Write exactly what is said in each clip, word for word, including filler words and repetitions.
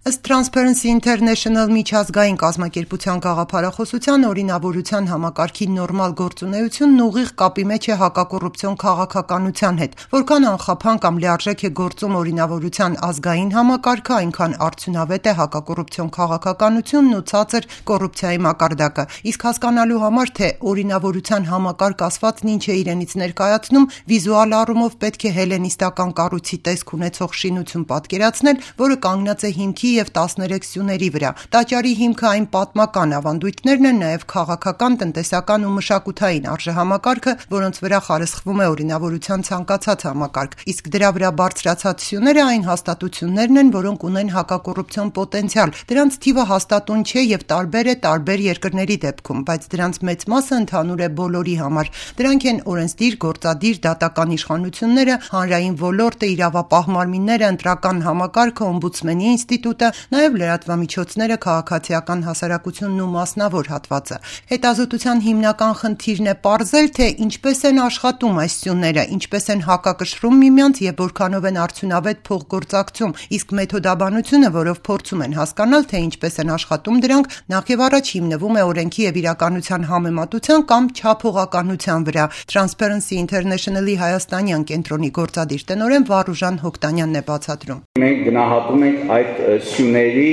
Ըստ Transparency International միջազգային կազմակերպության գաղափարախոսության, օրինավորության համակարգի նորմալ գործունեությունն ուղիղ կապի մեջ է հակակոռուպցիոն քաղաքականության հետ, որքան անխափան կամ լիարժեք է գործում օրինավորության ազգային համակարգը, այնքան արդյունավետ է հակակոռուպցիոն քաղաքականությունն ու ցածր կոռուպցիայի մակարդակը, իսկ հասկանալու համար, թե օրինավորության համակարգ ասվածն ինչ է իրենից ներկայացնում, վիզուալ առումով պետք է հելենիստական կառույցի տեսք ունեցող շինություն պատկերացնել, որը կանգնած է հիմքի և տասներեք սյուների վրա։ Տաճարի հիմքը այն պատմական ավանդույթներն են, նաև քաղաքական, տնտեսական ու մշակութային արժեհամակարգը, որոնց վրա խարսխվում է օրինավորության ցանկացած համակարգ, իսկ դրա վրա բարձրացած սյուները այն հաստատություններն են, որոնք ունեն հակակոռուպցիոն պոտենցիալ։ Դրանց թիվը հաստատուն չէ և տարբեր է տարբեր երկրների դեպքում, բայց դրանց մեծ մասը ընդհանուր է բոլորի համար։ Դրանք են օրենսդիր, գործադիր, դատական իշխանությունները, հանրային ոլորտը, իրավապահ մարմինները, ընտրական համակարգը, օմբուդսմենի ինստիտուտը, նաև լրատվամիջոցները, քաղաքացիական հասարակությունն ու մասնավոր հատվածը։ Հետազոտության հիմնական խնդիրն է պարզել, թե ինչպես են աշխատում այս սյուները, ինչպես են հակակշռում միմյանց և որքանով են արդյունավետ փոխգործակցում, իսկ մեթոդաբանությունը, որով փորձում են հասկանալ, թե ինչպես են աշխատում դրանք, նախևառաջ հիմնվում է օրենքի և իրականության համեմատության կամ չափողականության վրա։ Transparency International-ի հայաստանյան կենտրոնի գործադիր տնօրեն Վարուժան Հոկտանյանն է բացատրում։ Մենք գնահատում ենք այդ սյուների,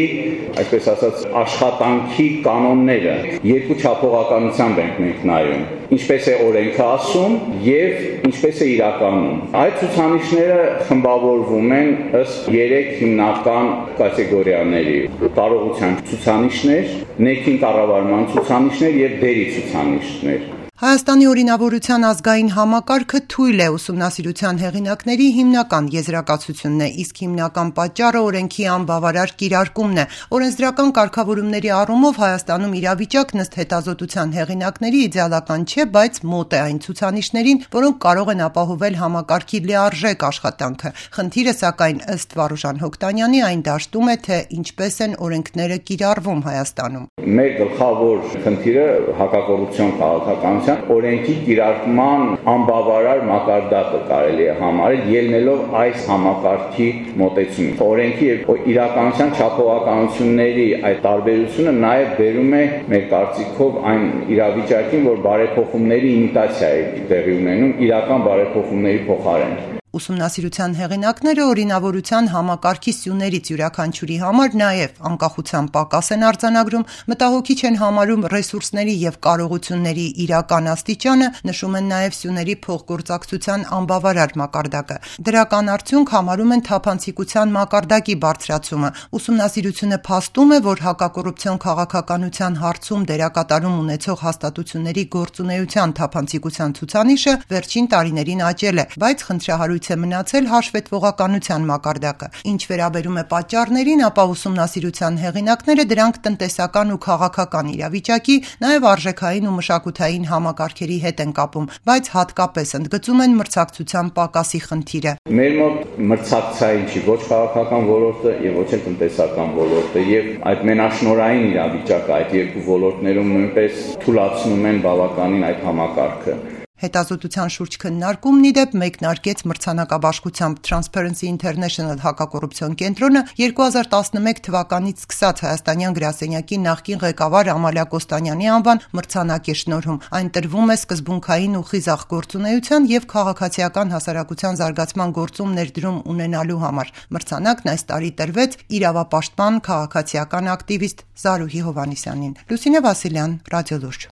այսպես ասած, աշխատանքի կանոնները երկու չափողականությամբ ենք մենք նայում, ինչպես է օրենքը ասում և ինչպես է իրականում։ Այդ ցուցանիշները խմբավորվում են ըստ երեք հիմնական կատեգորիաների՝ կարողության ցուցանիշներ, ներքին կառավարման ցուցանիշներ և դերի ցուցանիշներ։ Հայաստանի օրինավորության ազգային համակարգը թույլ է ուսումնասիրության հեղինակների հիմնական եզրակացությունն է, իսկ հիմնական պատճառը օրենքի անբավարար կիրարկումն է։ Օրենսդրական կարգավորումների առումով Հայաստանում իրավիճակն ըստ հետազոտության հեղինակների իդեալական չէ, բայց մոտ է այն ցուցանիշներին, որոնք կարող են ապահովել համակարգի լիարժեք աշխատանքը։ Խնդիրը, սակայն, ըստ Վարուժան Հոկտանյանի, այն դաշտում է, թե ինչպես են օրենքները կիրառվում Հայաստանում։ Մեր գլխավոր խնդիրը հակակոռուպցիոն քաղաքականության օրենքի կիրարկման անբավարար մակարդակը կարելի է համարել, ելնելով այս համակարգի մոտեցումից։ Օրենքի և իրականության չափողականությունների այդ տարբերությունը նաև բերում է մեր կարծիքով այն իրավիճակին, որ բարեփոխումների իմիտացիա է տեղի ունենում իրական բարեփոխումների փոխարեն։ Ուսումնասիրության հեղինակները օրինավորության համակարգի սյուներից յուրաքանչյուրի համար նաև անկախության պակաս են արձանագրում, մտահոգիչ են համարում ռեսուրսների և կարողությունների իրական աստիճանը, նշում են նաև սյուների փոխգործակցության անբավարար մակարդակը։ Դրական արդյունք համարում են թափանցիկության մակարդակի բարձրացումը։ Ուսումնասիրությունը փաստում է, որ հակակոռուպցիոն քաղաքականության հարցում դերակատարում ունեցող հաստատությունների գործունեության թափանցիկության ցուցանիշը վերջին տարիներին աճել է, բայց խնդրահարույց է մնացել հաշվետվողականության մակարդակը։ Ինչ վերաբերում է պատճառներին, ապա ուսումնասիրության հեղինակները դրանք տնտեսական ու քաղաքական իրավիճակի, նաև արժեքային ու մշակութային համակարգերի հետ են կապում, բայց հատկապես ընդգծում են մրցակցության պակասի խնդիրը։ Մեր մոտ մրցակցային չի ոչ քաղաքական ոլորտը և ոչ էլ տնտեսական ոլորտը, և այդ մենաշնորհային իրավիճակը այդ երկու ոլորտներում նույնպես թուլացնում են բավականին այդ համակարգը։ Հետազոտության շուրջ քննարկումն ի դեպ մեկնարկեց մրցանակաբաշխությամբ Transparency International հակակոռուպցիոն կենտրոնը երկու հազար տասնմեկ թվականից սկսած հայաստանյան գրասենյակի նախկին ղեկավար Ամալիա Կոստանյանի անվան մրցանակ է շնորհում։ Այն տրվում է սկզբունքային ու խիզախ գործունեության և քաղաքացիական հասարակության զարգացման գործում ներդրում ունենալու համար։ Մրցանակն այս տարի տրվեց իրավապաշտպան, քաղաքացիական ակտիվիստ Զարուհի Հովհաննիսյանին։ Լուսինե Վասիլյան, Ռադիոլուրջ։